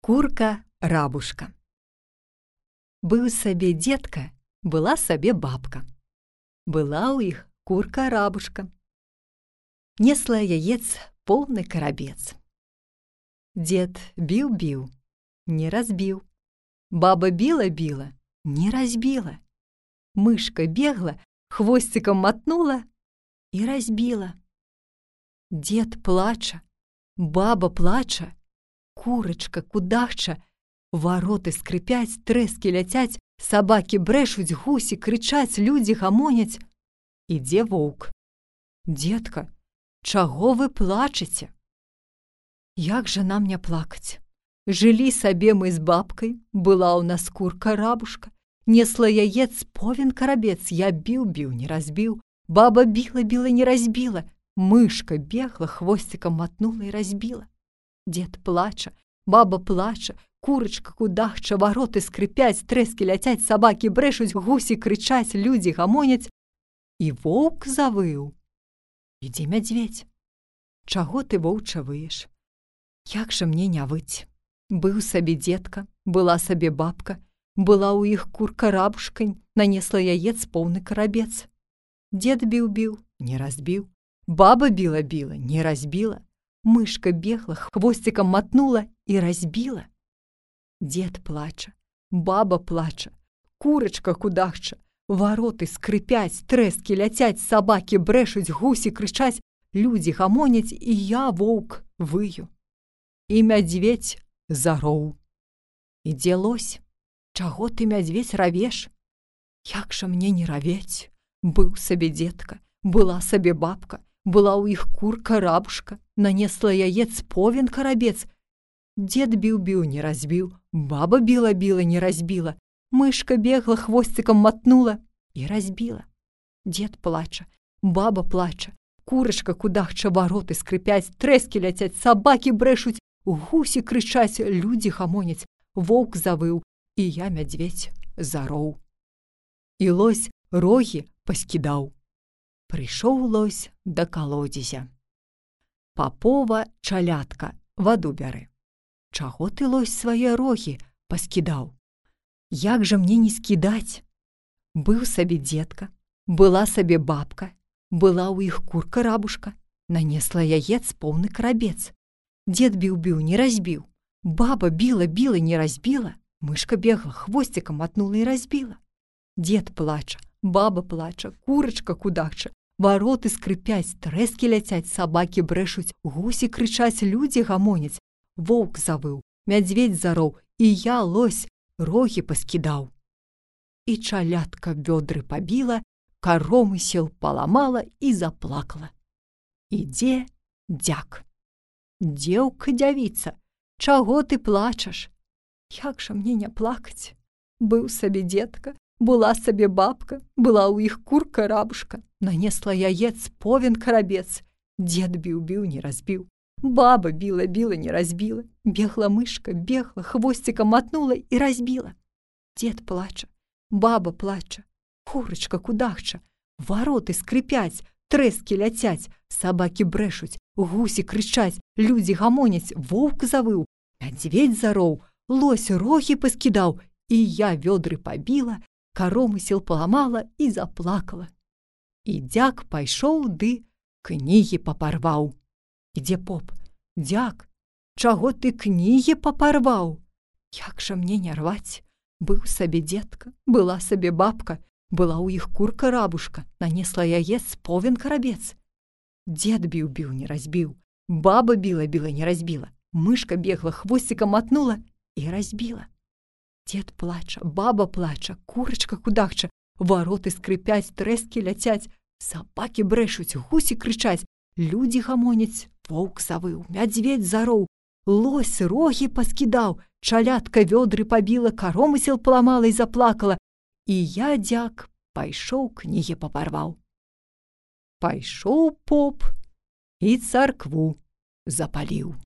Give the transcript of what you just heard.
Курка-рабушка. Быў сабе дзедка, была сабе бабка. Была ў іх курка-рабушка. Несла яец поўны карабец. Дзед біў-біў, не разбіў. Баба біла-біла, не разбіла. Мышка бегла, хвосцікам матнула і разбіла. Дзед плача, баба плача, курачка кудахча, вароты скрыпяць, трэскі ляцяць, сабакі брэшуць, гусі крычаць, людзі гамоняць. Ідзе воўк. Дзедка, чаго вы плачаце? Як жа нам не плакаць? Жылі сабе мы з бабкай, была ў нас курка-рабушка, несла яец повен карабец, я біў-біў, не разбіў, баба біла-біла, не разбіла, мышка бегла, хвосцікам матнула і разбіла. Дзед плача, баба плача, курачка кудахча, вароты скрыпяць, трэскі ляцяць, сабакі брэшуць, гусі крычаць, людзі гамоняць. І воўк завыў. Ідзе мядзведзь. Чаго ты, воўча, выеш? Як жа мне не выць? Быў сабе дзедка, была сабе бабка, была ў іх курка-рабушка, нанесла яец поўны карабец. Дзед біў-біў, не разбіў, баба біла-біла, не разбіла, мышка бегла, хвосцікам матнула і разбіла. Дзед плача, баба плача, курачка кудахча, вароты скрыпяць, трэскі ляцяць, сабакі брэшуць, гусі крычаць, людзі гамоняць, і я, воўк, выю. І мядзведзь зароў. Ідзе лось. Чаго ты, мядзведзь, равеш? Як жа мне не равець? Быў сабе дзедка, была сабе бабка, была ў іх курка-рабушка, нанесла яец повен карабец. Дзед біў-біў, не разбіў, баба біла-біла, не разбіла, мышка бегла, хвосцікам матнула і разбіла. Дзед плача, баба плача, курачка кудахча, вароты скрыпяць, трэскі ляцяць, сабакі брэшуць, гусі крычаць, людзі гамоняць, воўк завыў, і я, мядзведзь, зароў. І лось рогі паскідаў. Прыйшоў лось да калодзезя. Папова чалятка, ваду бяры. Чаго ты, лось, свае рогі паскідаў? Як жа мне не скідаць? Быў сабе дзедка, была сабе бабка, была ў іх курка-рабушка, нанесла яец поўны карабец. Дзед біў-біў, не разбіў, баба біла-біла, не разбіла, мышка бегла, хвосцікам матнула і разбіла. Дзед плача, баба плача, курачка кудахча, вароты скрыпяць, трэскі ляцяць, сабакі брэшуць, гусі крычаць, людзі гамоняць, воўк завыў, мядзведзь зароў, і я, лось, рогі паскідаў. І чалятка вёдры пабіла, каромысел паламала і заплакала. Ідзе дзяк. Дзеўка-дзявіца, чаго ты плачаш? Як жа мне не плакаць? Быў сабе дзедка, была сабе бабка, была ў іх курка-рабушка, нанесла яец повен карабец. Дзед біў-біў, не разбіў, баба біла-біла, не разбіла, бегла мышка, бегла, хвосцікам матнула і разбіла. Дзед плача, баба плача, курачка кудахча, вароты скрыпяць, трэскі ляцяць, сабакі брэшуць, гусі крычаць, людзі гамоняць, воўк завыў, мядзведзь зароў, лось рогі паскідаў, і я вёдры пабіла, каромысел паламала і заплакала. І дзяк пайшоў ды кнігі папарваў. Ідзе поп. Дзяк, чаго ты кнігі папарваў? Як жа мне не рваць? Быў сабе дзедка, была сабе бабка, была ў іх курка-рабушка, нанесла яец повен карабец. Дзед біў-біў, не разбіў, баба біла-біла, не разбіла, мышка бегла, хвосцікам матнула і разбіла. Дзед плача, баба плача, курачка кудахча, вароты скрыпяць, трэскі ляцяць, сабакі брэшуць, гусі крычаць, людзі гамоняць, воўк завыў, мядзведзь зароў, лось рогі паскідаў, чалятка вёдры пабіла, каромысел паламала і заплакала, і я, дзяк, пайшоў кнігі папарваў. Пайшоў поп і царкву запаліў.